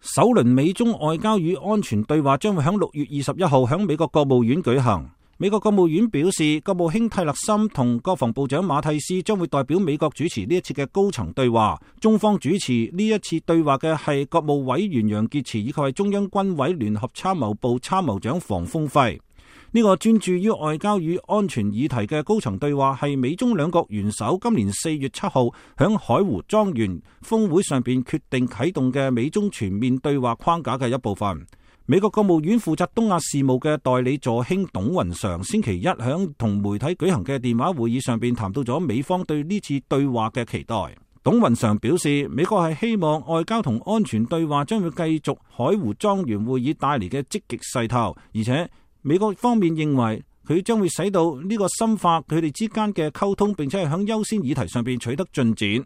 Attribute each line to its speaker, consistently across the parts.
Speaker 1: 首輪美中外交與安全對話將會喺6月21號喺美國國務院舉行。美國國務院表示，國務卿泰勒森同國防部長馬蒂斯將會代表美國主持呢一次嘅高層對話。中方主持呢一次對話嘅係國務委員楊潔篪以及係中央軍委聯合參謀部參謀長房峰輝。呢個專注於外交與安全議題嘅高層對話係美中兩國元首今年4月7號響海湖莊園峰會上邊決定啟動嘅美中全面對話框架嘅一部分。美國國務院負責東亞事務嘅代理助卿董雲常星期一響同媒體舉行嘅電話會議上邊談到咗美方對呢次對話嘅期待。董雲常表示，美國係希望外交同安全對話將會繼續海湖莊園會議帶嚟嘅積極勢頭，而且美國方面認為佢將會使到呢個深化佢哋之間嘅溝通，並且係響優先議題上邊取得進展。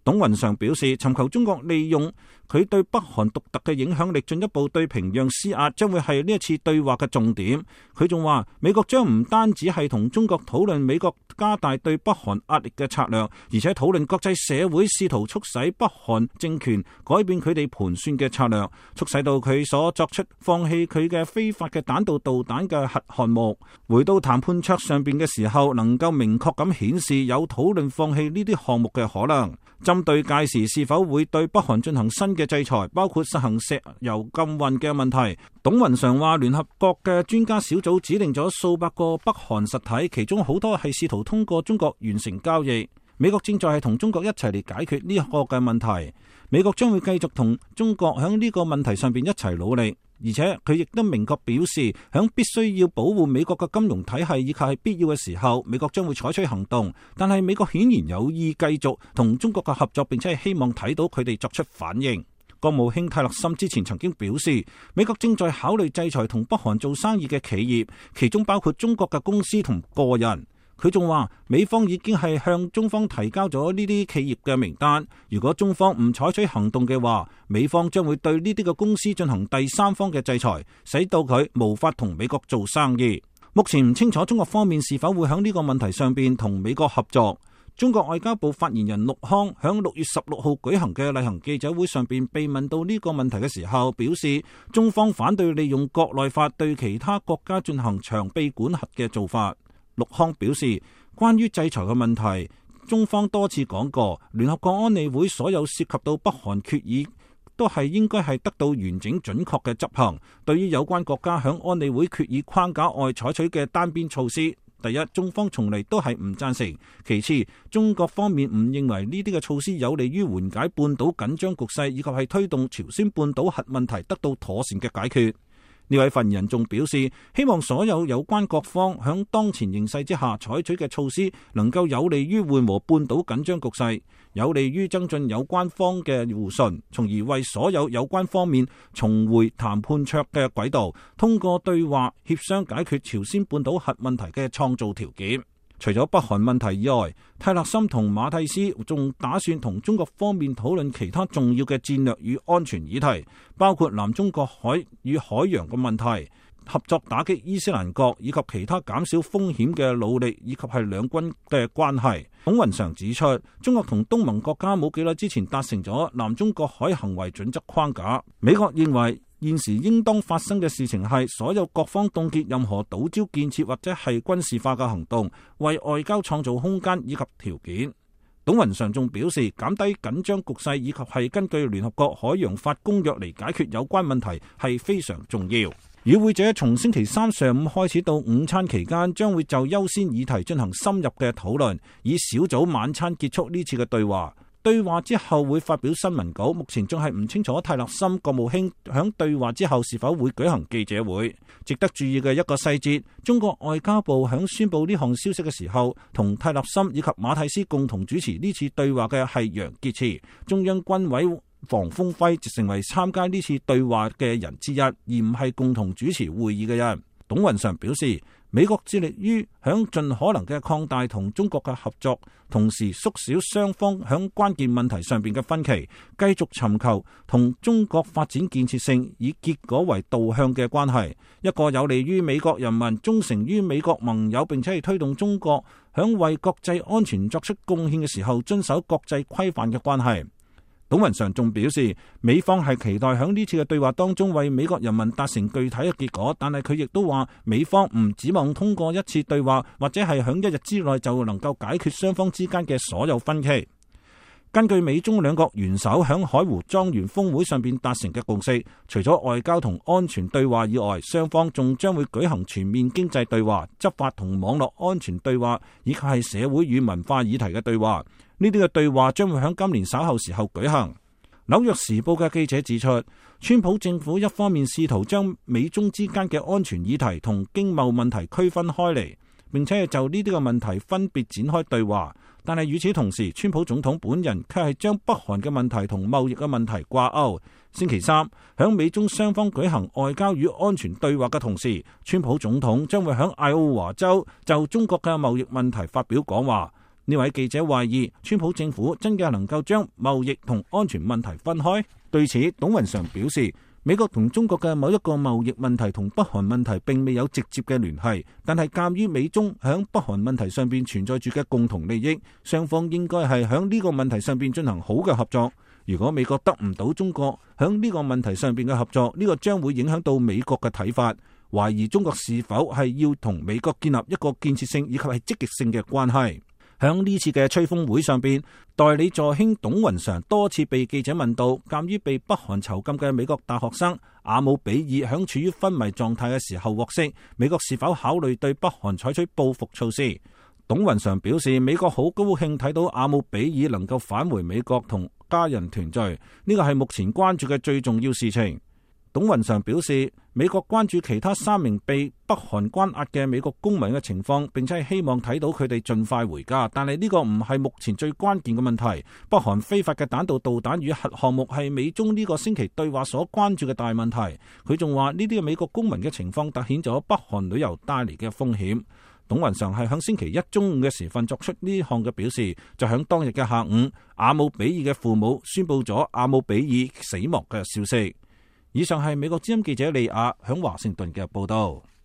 Speaker 1: 董雲常表示，尋求中國利用佢對北韓獨特嘅影響力，進一步對平壤施壓，將會係呢一次對話嘅重點。佢仲話，美國將唔單止係同中國討論美國加大對北韓壓力嘅策略，而且討論國際社會試圖促使北韓政權改變佢哋盤算嘅策略，促使到佢所作出放棄佢嘅非法嘅彈道導彈嘅核項目。回到談判桌上邊嘅時候，能夠明確咁顯示有討論放棄呢啲項目嘅可能。針對屆時是否會對北韓進行新嘅制裁，包括實行石油禁運嘅問題，董雲常話，聯合國嘅專家小組指定咗數百個北韓實體，其中好多係試圖通過中國完成交易。美國正在係同中國一齊嚟解決呢個嘅問題，美國將會繼續同中國喺呢個問題上邊一齊努力。而且佢亦都明確表示，響必須要保護美國嘅金融體系以及係必要嘅時候，美國將會採取行動。但係美國顯然有意繼續同中國嘅合作，並且係希望睇到佢哋作出反應。國務卿泰勒森之前曾經表示，美國正在考慮制裁同北韓做生意嘅企業，其中包括中國嘅公司同個人。佢仲話，美方已經係向中方提交咗呢啲企業嘅名單，如果中方唔採取行動嘅話，美方將會對呢啲嘅公司進行第三方嘅制裁，使到佢無法同美國做生意。目前唔清楚中國方面是否會喺呢個問題上邊同美國合作。中國外交部發言人陸康喺6月16號舉行嘅例行記者會上邊被問到呢個問題嘅時候，表示中方反對利用國內法對其他國家進行長臂管轄嘅做法。陸康表示，關於制裁嘅問題，中方多次講過，聯合國安理會所有涉及到北韓決議都係應該係得到完整準確嘅執行。對於有關國家響安理會決議框架外採取嘅單邊措施，第一，中方從嚟都係唔贊成；其次，中國方面唔認為呢啲嘅措施有利於緩解半島緊張局勢，以及係推動朝鮮半島核問題得到妥善嘅解決。呢位發言人仲表示，希望所有有關各方響當前形勢之下採取嘅措施，能夠有利於緩和半島緊張局勢，有利於增進有關方嘅互信，從而為所有有關方面重回談判桌嘅軌道，通過對話協商解決朝鮮半島核問題嘅創造條件。除咗北韓問題以外，泰勒森同馬蒂斯仲打算同中國方面討論其他重要嘅戰略與安全議題，包括南中國海與海洋嘅問題、合作打擊伊斯蘭國以及其他減少風險嘅努力，以及係兩軍嘅關係。董雲常指出，中國同東盟國家冇幾耐之前達成咗南中國海行為準則框架。美國認為現時應當發生嘅事情係所有各方凍結任何島礁建設或者係軍事化嘅行動，為外交創造空間以及條件。董雲常仲表示，減低緊張局勢以及係根據聯合國海洋法公約嚟解決有關問題係非常重要。與會者從星期三上午開始到午餐期間，將會就優先議題進行深入嘅討論，以小組晚餐結束呢次嘅對話。對話之後會發表新聞稿，目前仲係唔清楚泰勒森國務卿響對話之後是否會舉行記者會。值得注意嘅一個細節，中國外交部響宣布呢項消息嘅時候，同泰勒森以及馬蒂斯共同主持呢次對話嘅係楊潔篪，中央軍委房峰輝就成為參加呢次對話嘅人之一，而唔係共同主持會議嘅人。董雲常表示，美國致力於響盡可能嘅擴大同中國嘅合作，同時縮小雙方響關鍵問題上邊嘅分歧，繼續尋求同中國發展建設性以結果為導向嘅關係，一個有利於美國人民、忠誠於美國盟友，並且係推動中國響為國際安全作出貢獻嘅時候遵守國際規範嘅關係。董雲常仲表示，美方係期待響呢次嘅對話當中為美國人民達成具體嘅結果，但係佢亦都話美方唔指望通過一次對話或者係響一日之內就能夠解決雙方之間嘅所有分歧。根據美中兩國元首響海湖莊園峰會上邊達成嘅共識，除咗外交同安全對話以外，雙方仲將會舉行全面經濟對話、執法同網絡安全對話，以及係社會與文化議題嘅對話。呢啲嘅對話將會響今年稍後時候舉行。紐約時報嘅記者指出，川普政府一方面試圖將美中之間嘅安全議題同經貿問題區分開嚟，並且係就呢啲嘅問題分別展開對話。但係與此同時，川普總統本人卻係將北韓嘅問題同貿易嘅問題掛鈎。星期三，響美中雙方舉行外交與安全對話嘅同時，川普總統將會響愛奧華州就中國嘅貿易問題發表講話。呢位記者懷疑川普政府真嘅能夠將貿易同安全問題分開？對此，董雲常表示，美國同中國嘅某一個貿易問題同北韓問題並未有直接嘅聯繫，但係鑑於美中響北韓問題上邊存在住嘅共同利益，雙方應該係響呢個問題上邊進行好嘅合作。如果美國得唔到中國響呢個問題上邊嘅合作，呢個將會影響到美國嘅睇法，懷疑中國是否係要同美國建立一個建設性以及係積極性嘅關係。響呢次嘅吹風會上邊，代理助卿董雲常多次被記者問到，鑒於被北韓囚禁嘅美國大學生阿姆比爾響處於昏迷狀態嘅時候獲釋，美國是否考慮對北韓採取報復措施？董雲常表示，美國好高興睇到阿姆比爾能夠返回美國同家人團聚，呢個係目前關注嘅最重要事情。董雲常表示，美國關注其他3名被北韓關押嘅美國公民嘅情況，並且係希望睇到佢哋盡快回家。但係呢個唔係目前最關鍵嘅問題。北韓非法嘅彈道導彈與核項目係美中呢個星期對話所關注嘅大問題。佢仲話呢啲嘅美國公民嘅情況凸顯咗北韓旅遊帶嚟嘅風險。董雲常係響星期一中午嘅時分作出呢項嘅表示，就響當日嘅下午，阿姆比爾嘅父母宣布咗阿姆比爾死亡嘅消息。以上係美國之音記者利亞響華盛頓嘅報道。